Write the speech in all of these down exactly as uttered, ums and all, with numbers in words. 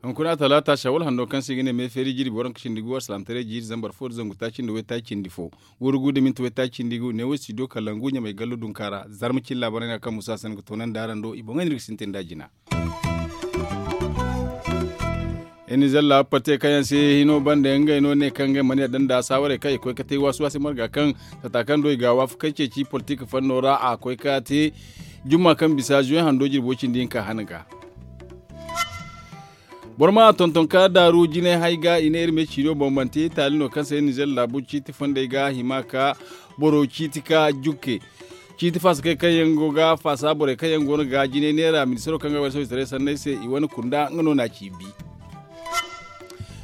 Hunkuna talaata shawal hando kaŋ se i ga ne me feeri jirbi waranka cindi gu alsalaamataray jiiri zambar fo da zangu taaci nda waytaaci cindi fo. Wurgu da minti waytaaci cindi gu ne wo studio kalangu ɲamay gallo dunka ra zarma cilla barayna kaŋ musa sanda ga toonandi araŋ do i boŋey no iri ga sintin nd'a jina. Iri na zalla pate kaŋ yaŋ se hino banda ngey no ne kaŋ ngey mana yadda nda saawarey kaŋ i koy ga te waasi waasi marga kaŋ sata kaŋ do i ga waafakey ceeci politik fanno ra a koy ga te jumma kaŋ bisa zuwe hando jirbo cindi hinka hana ga. Boro ma tonton ka daaru jinay hay ga i ne iri me ciino boŋ manti taali no kaŋ se nizer laabu ciiti fondey ga hima ka boro ciiti ka jukke. Ciiti faasakey kaŋ yaŋ go ga faasa borey kaŋ yaŋ go no ga jinay neera ministaro kaŋ ga wayna sohõ taray sanney se i wane kunda nga no na ci bi.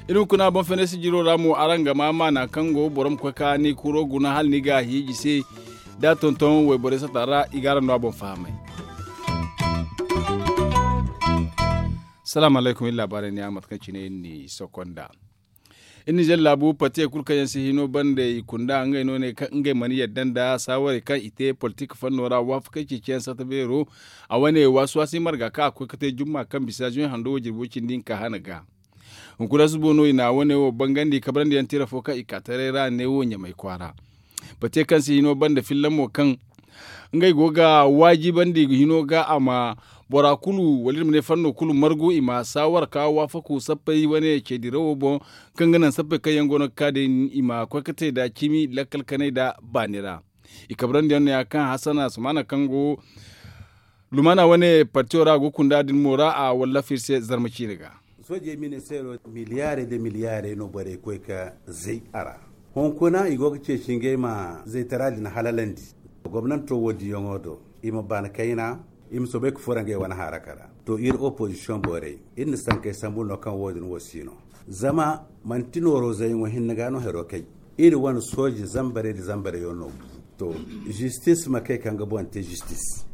Iri ma kuna boŋ fenesi jiro ra mo araŋ ga ma maana kaŋ go boro ma koy ka ni kuro guna hala ni ga a hiiji se da tonton wayborey sata ra i ga araŋ no a boŋ fahamay. Salaamu alaykum iri laabaarey ne a mate kaŋ cine iri n'i sokko nd'a. Iri nizer laabu pate kulu kaŋ yaŋ si hino banda i kunda ngey no ne kaŋ ngey mana yadda nda saawarey kaŋ i te politik fanno ra waafakey ceeciyaŋ sata beero. A wane waasi waasi marga kaŋ a koy ga te jumma kaŋ bisa zuwe hando wo jirbo cindi hinka hana ga. Hunkuna subo no i na wane wo bangandi kabrandi yaŋ tira fo kaŋ i ka taray ra ne wo ɲamay kwaara. Pate kaŋ si hino banda filla mo kaŋ ngey go ga waajibandi hino ga a ma bora kulu wala iri ma ne fanno kulu margu i ma saawar ka waafaku sappey wane ceedirawo boŋ kaŋ ga naŋ sappey kaŋ yaŋ go no ga ka day i ma koy ga te nda cimi lakkal kanay nda baani ra. I kabrandi yaŋ no ya kaŋ hasana sumaana kaŋ go lumaana wane partiyo ra a go ga kunda din mo ra a wallafa iri se zarma ciine ga. Soojey ministeero miliyaarey nda miliyaarey no borey koy ga zay a ra. Hunkuna i go ga ceeci ngey ma zaytara din halalandi. Gomnanto wo diyaŋo do i ma baani kayna i ma soobay ga furo ngey wane haraka ra. To iri opozisiyoŋ borey iri na sankey sambu no kaŋ wo- din wo si no. Zama manti nooro zayyaŋo hinne ga no haro kay. Iri wane sooje zambarey nda zambarey yaŋ no bu. To zistis ma kay kaŋ ga boŋ te zistis.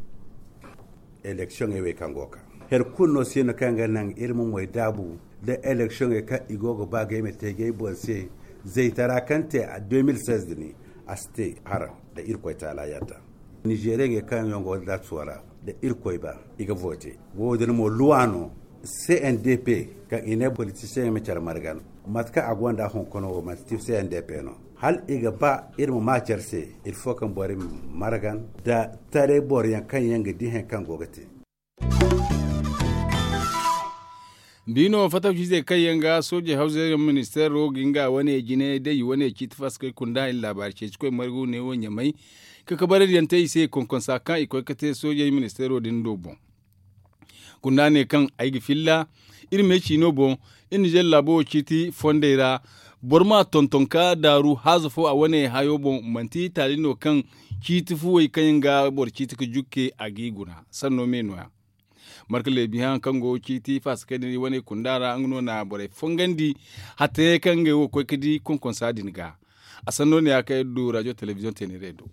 Eleksiyoŋey wey kaŋ go ga ka hari kulu no si no kaŋ ga naŋ iri ma moy daabu nda eleksiyoŋey kaŋ i go ga ba ga ay ma te ga ay boŋ se. Zaytara kaŋ te a deux mille seize din a si te hara nda irkoy taala yadda. Nizeeriyaŋey kaŋ yaŋ go ga daatuwa ra nda irkoy ba i ga vote. Wo- din mo luwa no. C N D P kaŋ i ne politisiyeŋey ma care margan mate kaŋ a gonda hunkuna wo manti C N D P no. Hala i ga ba iri ma ma care se. Iri fo kaŋ borey ma margan nda taray boro yaŋ kaŋ yaŋ ga di hari kaŋ go ga te. Biino fatawciizey kaŋ yaŋ ga soojey hawzey yaŋ ministeero ga nga wane jine day i wane ciiti fasikey kunda i na laabaari ceeci koy margu ne wo ɲamay. Ka kabaradiyaŋ te i se konkonsa kaŋ i koy ga te soojey ministeero din do boŋ. Kunda ne kaŋ ay ga filla iri me ciino boŋ. Iri nizer laabo wo ciiti fondey ra boro ma tonton ka daaru haaza fo a wane hayo boŋ manti taali no kaŋ ciiti fuwey kaŋ yaŋ ga boro ciiti ga jukke a g'i guna sanno me no- ya. Marka leebi haŋ kaŋ go ciiti faasa kaŋ din i wane kunda ra nga no na borey fongandi. Hatta yaŋ kaŋ ngey wo koy ga di konkonsa din ga. A sanno ne ya kaŋ iri du rajo telebiziyoŋ teeneerey do.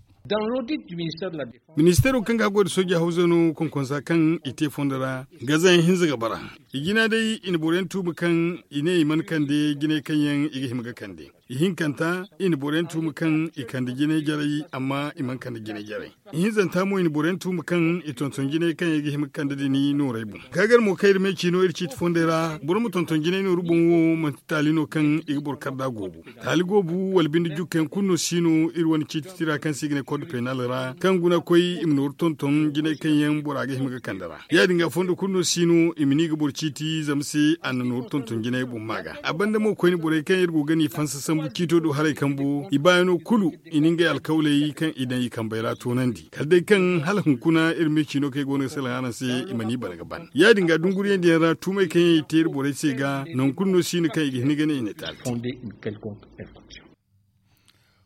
Ministeero kaŋ ga a goy nda sooja hawza no konkonsa kaŋ i te fondo ra gaza yaŋ hinza ga bara. I jina day i na boro yaŋ tuubu kaŋ i ne i mana kande jinay kaŋ yaŋ i ga hima ga kande. Ihinkanta i na boro yaŋ tuumu kaŋ i kande jinay jarey amma i mana kande jinay jarey. Ihinzanta mo i na boro yaŋ tuumu kaŋ i tonton jinay kaŋ i ga hima ga kande din noorey boŋ. Kaagar mo kaŋ iri me ciino iri ciiti fondey ra boro ma tonton jinay nooru boŋ wo manti taali no kaŋ i ga boro kar nd'a goobu. Taali goobu wala binde jukka yaŋ kulu no si no iri wane ciiti tira kaŋ se i ga ne kod peenal ra kaŋ guna koy i ma nooru tonton jinay kaŋ yaŋ bora ga hima ga kande ra. Ya- din ga fondo kulu no si no i ma ni ga boro ciiti zama se a na nooru tonton jinay boŋ ma ga a banda mo koyne borey kaŋ iri go ga ni fansa sambu ciito do haray kambo i baayano kulu i na ngey alkawley kaŋ i daŋ i kambey ra toonandi kala day kaŋ hala hunkuna iri me ciino kaŋ i go no ga salaŋ araŋ se i mana i bana ga ban ya- din ga dunguriyaŋ diyaŋ ra tuumey kaŋ yaŋ i te iri borey se ga nangu kulu no si no kaŋ i ga hin ga ne i na taali te.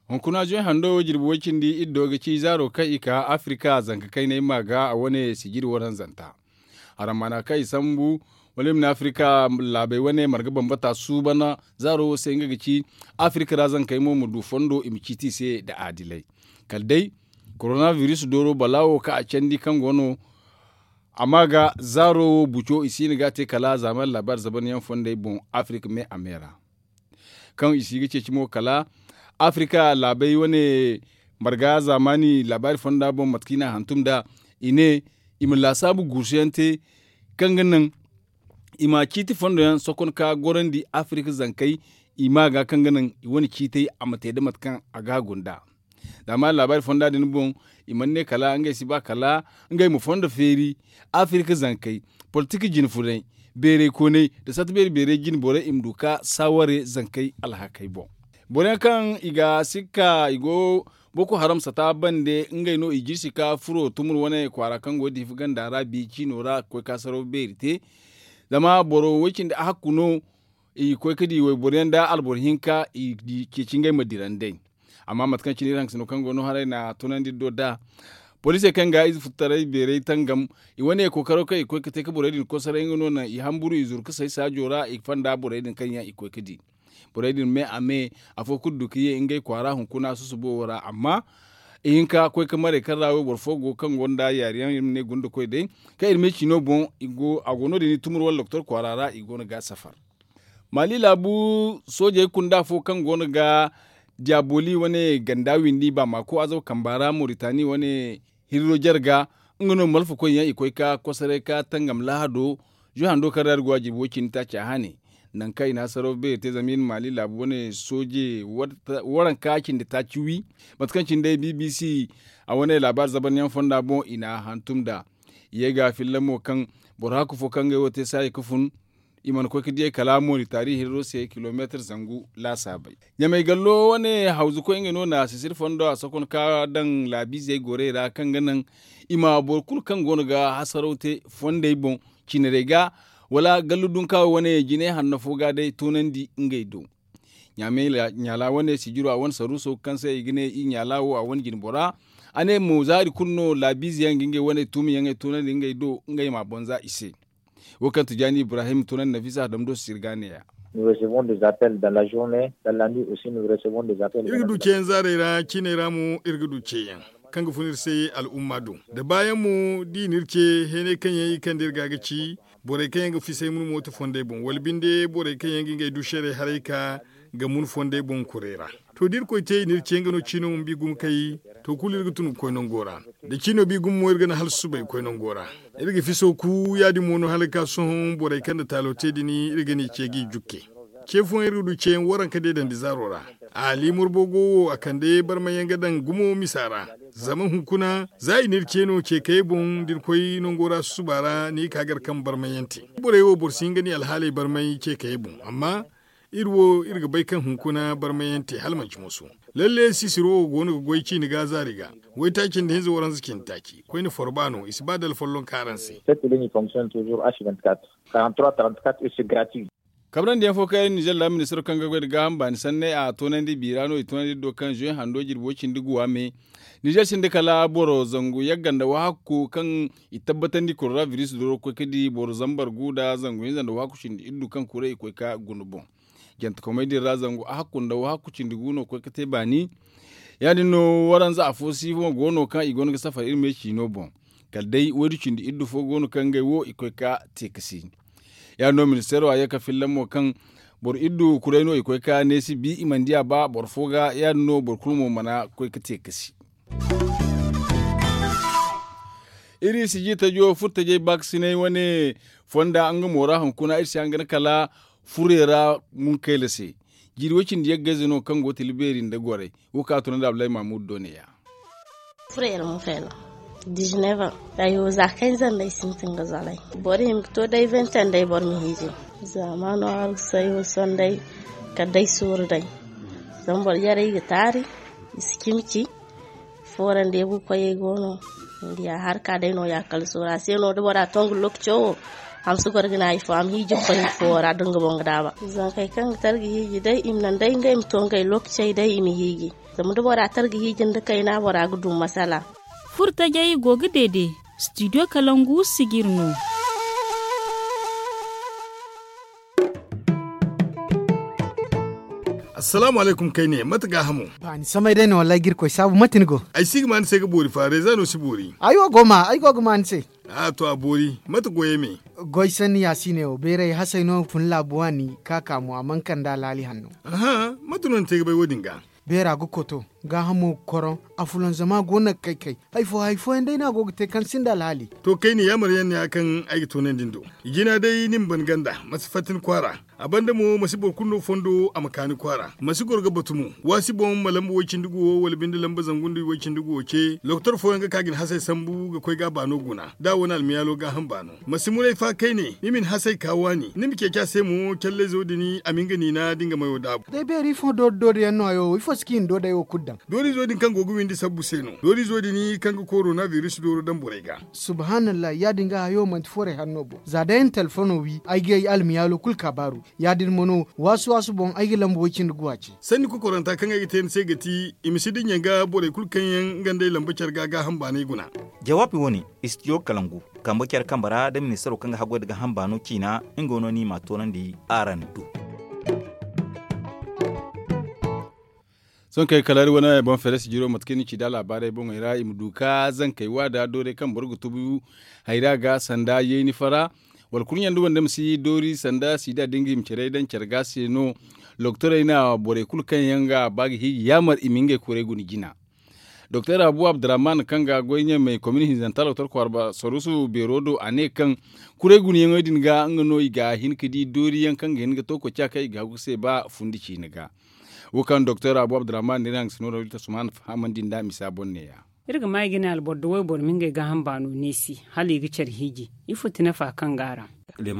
Hunkuna zoy hando jirbi way cindi iddo ga ci zaaro kaŋ i ka afirika zanka kaynay ma ga a wane sijiri waranzanta. Harammaana kaŋ i sambu wala i ma ne afirika laabey wane marga bambata suuban zaaro wo se nga ga ci afirika ra zankey mo ma du fondo i ma ciiti i se nda aadilay. Kala day koronabiris dooro balaawo kaŋ a candi kaŋ go no a ma ga zaaro wo buco i si hin ga a te kala zaamaani laabaari zabanyaŋ fondey boŋ afirika me a me ra. Kaŋ i si ga ceeci mo kala afirika laabey wane marga zaamaani laabaari fonda boŋ mate kaŋ i n'a hantum nd'a, i ne i ma laasaabu guusuyaŋ te kaŋ ga naŋ i ma ciiti fondo yaŋ sokon ka gorandi afirika zankey, i ma ga kaŋ ga naŋ i wane ciitey a ma te nda mate kaŋ a ga a gunda. Zama laabaari fonda din boŋ, i mana ne kala ngey si ba kala ngey ma fondo feeri afirika zankey, politik jine funay, beerey koonay nda sarta beeri beerey jine borey i ma du ka saaware zankey alhakey boŋ. Boro yaŋ kaŋ i ga sikka i go boko haram sata bande ngey no i jirsi ka furo tumur wane kwaara kaŋ go diifa ganda ra bi ciino ra ga koy ka saraw beeri te. Zama boro way cindi a hakku no i ga koy ga di wayboro yaŋ nda alboro hinka i ceeci ngey ma dira nd'ey. Amma mate kaŋ cine iri hangasino kaŋ go no haray na tunandi do nd'a poliisey kaŋ ga ize futtaray beeray tangam, i wane kookaro kaŋ i ga koy ga te ga borey din kosoray nga no naŋ i hamburu i zuru ga say saajo ra i ga fanda borey din kaŋ yaŋ i ga koy ga di. Borey din me a me afo kulu du ga ye ngey kwaara hunkuna susubo wo ra amma i hin ka koy ga maray kaŋ ra wayboro fo go kaŋ gonda yaari yaŋ iri ma ne gunda koy day kaŋ iri me ciino boŋ. A go no- din i tumur wala doktor kwaara ra i go no ga safar. Maali laabu soojey kunda fo kaŋ go no ga diyaaboli wane ganda windi baamaako azaw kamba ra moritani wane hirro jare ga nga no malfakoy yaŋ i koy ga kosoray ga tangam lahado. Zuhando kaŋ ra iri go a jirbi wo- cindi taaci a hane nangu kaŋ i na hasaraw beeri te zama iri maali laabu wane sooje waranka cindi taaci wi mate kaŋ cine day bbc a wane laabaari zabaryaŋ fonda boŋ i na a hantum nd'a. I ye ga filla mo kaŋ boro hakku fo kaŋ ngey wo te saayi ga fun i mana koy ga diyey kala moritari hirro se kilomeetir zangu laasaabey. Ɲamay gallo wane hawzukoy ngey no na sisiri fondo a sokon ka daŋ laabiizey gorey ra kaŋ ga naŋ i ma boro kulu kaŋ go no ga hasaraw te fondey boŋ cinarey ga wala gallu dunka wane jine hanno fo ga day toonandi ngey do. Ɲaala wane sijiro a wane saruuso kaŋ se i ga ne i ɲaala wo a wane jinbora a ne mo zaari kulu no laabiize yaŋ ga ngey wane tuumi yaŋey toonandi ngey do ngey ma bonza i se. Wo kaŋ tijaani ibrahim toonandi nafisa dam do sirga neeya. Iri ga du ceeyaŋ zaarey ra ciiney ra mo iri ga du ceeyaŋ kaŋ ga fun iri se al'umma do da baayaŋ mo da i na iri ce heenay kaŋ yaŋ i kande iri ga ga ci borey kaŋ yaŋ ga fisay muna mooto fondey boŋ wala binde borey kaŋ yaŋ ga ngey du seeray haray ka ga mun fondey boŋ kuray ra. To da irkoy te i na iri ce nga no ciino ma bi gumo kay to kulu iri ga tun ga koy nango ra. Da ciino bi gumo mo iri ga naŋ hala susubay ga koy nango ra. Iri ga fiso ku ya- din mo no hala ga ka sohõ borey kaŋ na taalo te din iri ga n'i ce g'i jukke. Ce fooyaŋ iri ga du ceeyaŋ waranka deedandi zaaro ra. A liimur boogo wo a kande barmayyaŋ ga daŋ gumo misa ra. Zama hunkuna za i na iri ce no ce kayey boŋ da iri koy nango ra susuba ra ni ga ka gar kaŋ barmayyaŋ te. Borey wo boro si hin ga ni alhaaley barmay ce kayey boŋ amma iri wo iri ga bay kaŋ hunkuna barmayyaŋ te hala manci moso. Lalle sisiro wo go no ga goy ciini ga zaari ga. Waytaaci nda hinza waranza cindi taaci koyne forba no i si ba da alfollonka araŋ se. Kabrandiyaŋ fo kaŋ yaŋ nizer ra ministiro kaŋ ga goy nda gaaham baani sanney a toonandi biira no i toonandi iri do kaŋ zuwe hando jirbi way cindi guwa me. Nizer sinda kala boro zangu yagga nda wahakku kaŋ i tabbatandi korona biris doro ga koy ga di boro zambar gu nda zangu hinza nda wahakku cindi iddu kaŋ kuray i koy ga guna boŋ. Jantekomey din ra zangu ahakku nda wahakku cindi gu no ga koy ga te baani. Ya- din no waranza afo si mo go no kaŋ i go no ga safar iri me ciino boŋ. Kala day waydu cindi iddu fo go no kaŋ ngey wo i koy ga te ga si. Ya- din no ministeero a ye ga filla mo kaŋ boro iddu kuray no i koy ga neesi bi i mana di a ba boro fo ga ya- din no boro kulu mo mana koy ga te ga si. Iri sijir tajo furo tajay baakasinay wane fonda nga mo ra hunkuna iri si hangan kala furey ra munkayla se. Jiiri way cindi yaggayze no kaŋ go tila beeri nda goray. Wo kaŋ a tunandi abdulahi mahmud do ne- ya. Furey ra munkayla dizineva. Ayo za kayzanda ay sintin ga zalay. Boro hima ga to day vente nday boro ma hiiji. Zama no aru sayo sonday kala day sooru day. Zama boro jarey ga taari i si cimi ci. Foora nda yagu koyey go no. Ni di a harka day no- ya kala sooru a se no da bora to nga lokaco wo. Hamsi goro ga ne hari fo a ma hiiji ga koy nga fo ra da nga boŋ ga daaba. Zankey kaŋ ga tara ga hiiji day i ma naŋ day ngey ma to ngey lokacey day i ma hiiji. Zama da bora tara ga hiiji nda kayna bora ga du masala. Furo tajay go ga deede. Studio kalangu sijir no. Assalaamu alaykum kayne, mate gaahamo? Ba ni samay day no wallaahi ga irkoy saabu, mate ni go? Ay si ga ma ni se ga boori fa reeza no si boori. Ay wo go ma ay go ga ma ni se. A to a boori, mate goyey me? Goy sanni ya si ne wo bayray hasay no fun laabu waani ka ka mo a mana kande alhaali hanno. Aha, mate no ni te ga bay wo- din ga? Beera ga koto, gaahamo ga koroŋ, afulanzama go no ga kay kay. Hari fo hari fooyaŋ day no a go ga te kaŋ sinda alhaali. To kayne yaamar yaŋ ne ya kaŋ ay ga toonandi ni do. Jina day ni ma ban ganda, ma si fatta ni kwaara. A banda mo ma si boro kulu no fondo a ma ka ni kwaara, ma si goro ga batu mo. Waasi boŋ ma lamba way-cindi guwo wala binde lamba zangu nda way-cindi guwo ce, lokotor fooyaŋ ga ka ga ni hasey sambu ga koy ga a baano guna da a wane almiyaalo gaaham baano. Ma si muray fa kayne ni ma ni hasey ka waani, ni ma ceeci a se mo callayzo din a ma nga niina da nga mayo daabu. Day beeri ifo doori doori yaŋ no hayo ifo si kaŋ i na doodey wo kulu daŋ? Doorizo din kaŋ go ga windi sabbu se no. Doorizo din kaŋ ga korona biris dooro daŋ borey ga. Subhaanallahi ya- din ga hayo manti forey hanno boŋ za day ay na telefono wi ay ga ay almiyaalo kulu kaabaaru. Ya- din mo no waasu waasu boŋ ay ga lamba way-cindi guwa ce. Sanni kokoranta kaŋ ay ga te ni se ga ti, i ma si dinya ga borey kulu kaŋ yaŋ nga nd'ey lamba care ga gaaham baanay guna. Jawaabi wo- ne, istidiyo kalangu, kambe care kambe ra nda ministaro kaŋ ga haggoy nda gaaham baano ciina, nga no no i m'a toonandi araŋ do. Sohõ kay kala iri wane boŋ feres jiro mate kaŋ ni ci da laabaarey boŋey ra i ma du ka zankey wa da doorey kaŋ boro ga tubu hayra ga sanda yeeni fara, wala kurɲe nda wande ma si doori sanda siida da nga i ma care daŋ care ga se no. Lokotorey na borey kulu kaŋ yaŋ ga ba ga hiiji yaamar i ma ngey kuray guna jina. Doktor abu abdurrahman kaŋ ga goy ɲamey komin hinzanta lokotor kwaara saruusu beero do a ne kaŋ kuray gunayaŋey din ga nga no i ga hin ga di dooriyaŋ kaŋ ga hin ga to koociya kaŋ i ga hagu se ba fundi ciine ga. Wo kaŋ doktor abu abdurrahman n'iri hangasino da wita suman fahamandi nda misa boŋ neeya. Iri ga ma i ga ne alboro da wayboro ma ngey gaaham baano neesi hala i ga care hiiji. Ifo ti nafa kaŋ go a ra? Ni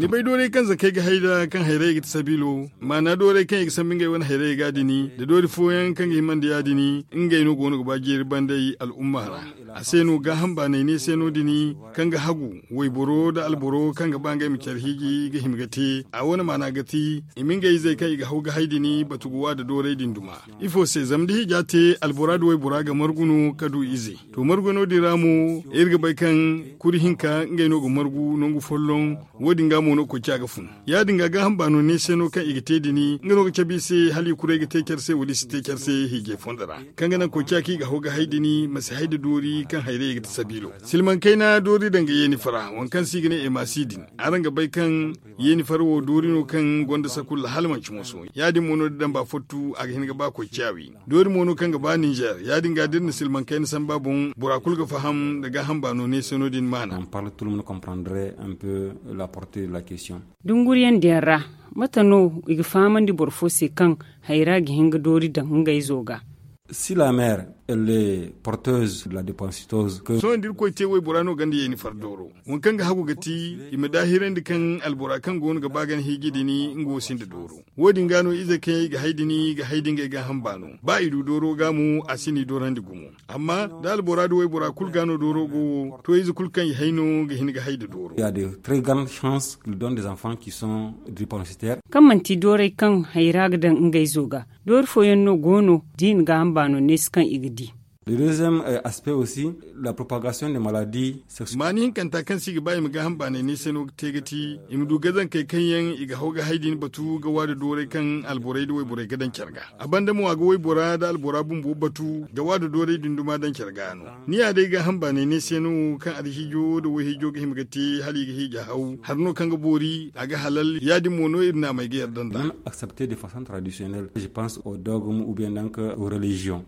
bay doorey kaŋ zakey ga hay nd'a kaŋ hayrayey ga ti sabiilo, maana doorey kaŋ i ga sambu ngey wane hayrayey ga din, da doori fooyaŋ kaŋ ga himandi ya- din, ngey no go no ga ba jeeri banday al'umma ra. A se no gaaham baanay ne se no- din kaŋ ga hagu wayboro nda alboro kaŋ ga ba ngey ma care hiiji ga hima ga te. A wane maana ga ti i ma ngey izey kaŋ i ga haw ga hay din batu ga wa nda doorey din duma. Ifo se zama da hiija te albora nda waybora ga margu no ka du ize. To margu no- din ra mo iri ga bay kaŋ kuri hinka ngey no ga margu nangu folloŋ. Wo- din ga mo no koociya ga fun. Ya- din ga gaaham baano ne se no kaŋ i ga te din nga no ga cabe i se hala i kuray ga te care se wala i si te care se hiijay fondo ra, kaŋ ga naŋ koociya kaŋ i ga haw ga hay din ma si hay nda doori kaŋ hayrayey ga ti sabiilo. Silmaŋ kayna doori daŋ ga yeeni fara waŋ kaŋ se i ga ne emasi din. Araŋ ga bay kaŋ yeeni fara wo doori no kaŋ gonda sakulla hala manci moso. Ya- din mo no da damba fottu a ga hin ga ba koociya wi. Doori mo no kaŋ ga ba ninzeer ya- din ga da iri na silmaŋ kayna samba boŋ bora kulu ga faham nda gaaham baano ne se no- din maana. Dunguriyaŋ din ra, mate no i ga fahamandi boro fo se kaŋ hayra ga hin ga doori daŋ ngey zo ga? Si la mer elle est porteuse de la dépensitose. Sohõ da irkoy te waybora no gonda yeeni far dooro, waŋ kaŋ ga hagu ga ti i ma daahirandi kaŋ albora kaŋ go no ga ba gana hiiji din nga wo sinda dooro. Wo- din ga no izey kaŋ yaŋ i ga hay din ga hay da ngey gaaham baano. Ba i du dooro ga mo a si n'i doorandi gumo. Amma da albora da waybora kulu ga no dooro go wo to ize kulu kaŋ i hay no ga hin ga hay nda dooro. Il y a de très grandes chances qu'il donne des enfants qui sont drépensitaires. Kaŋ manti doorey kaŋ hayra ga daŋ ngey zo ga, doori fooyaŋ no go no da i na gaaham baano neesi kaŋ i ga di. Le deuxième aspect aussi, la propagation des maladies sexuelles. Maani hinkanta kaŋ se i ga ba i ma gaaham baanay ne se no ga te ga ti i ma du gazankey kaŋ yaŋ i ga haw ga hay din batu ga wa nda doorey kaŋ alborey nda wayborey ga daŋ care ga. A banda mo a ga waybora nda albora bumbo batu ga wa nda doorey din duma daŋ care ga no. Ni ya day gaaham baanay ne se no kaŋ alhiijo nda wayhiijo ga hima ga te hala i ga hiija haw hari no kaŋ ga boori a ga halal ya- din mo no iri naamey ga yarda nd'a. Même accepter de façon traditionnelle je pense au dogme ou bien donc aux religions.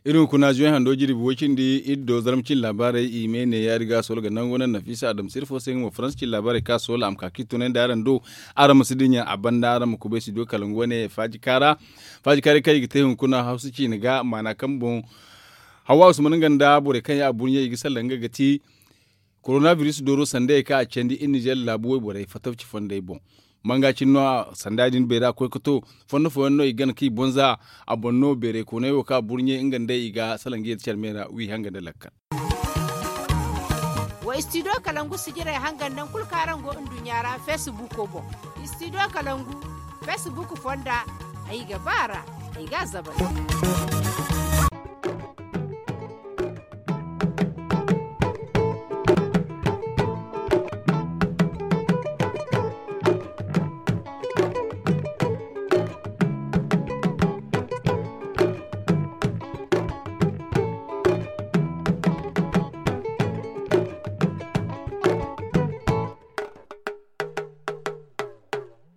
Iri hunkuna zuway hando jirbi way cindi iri do zarma cin laabaarey i me ne yaari ga sool ga nangu naŋ nafisa adamsir fo se nga mo faransa cin laabaarey ka sool a ma ka ka i tunay nda araŋ do. Araŋ ma si dinya a banda araŋ ma kubay studio kalangu wane faaji kaara. Faaji kaarey kaŋ i ga te hunkuna hawsa ciine ga maana kaŋ boŋ hawa usman nga nda borey kaŋ ya a burɲey i ga salaŋ nga ga ti. Koronabiris dooro sandayey kaŋ a candi iri nizer laabu wayborey fatawci fondey boŋ. Manga cine no sanda din beera koy ga to fondo fooyaŋ no i gana kaŋ i boŋ za a boŋ no beerey kooney wo kaŋ a burɲe nga nd'ey i ga salaŋ ga ye da care me ra wi hanga nda lakkal. Wa istidiyo kalangu sijirey hangan naŋ kulu kaŋ araŋ go nduɲɲa ra feesibuko boŋ. Istidiyo kalangu feesibuku fonda ay ga ba a ra ay ga a zabari.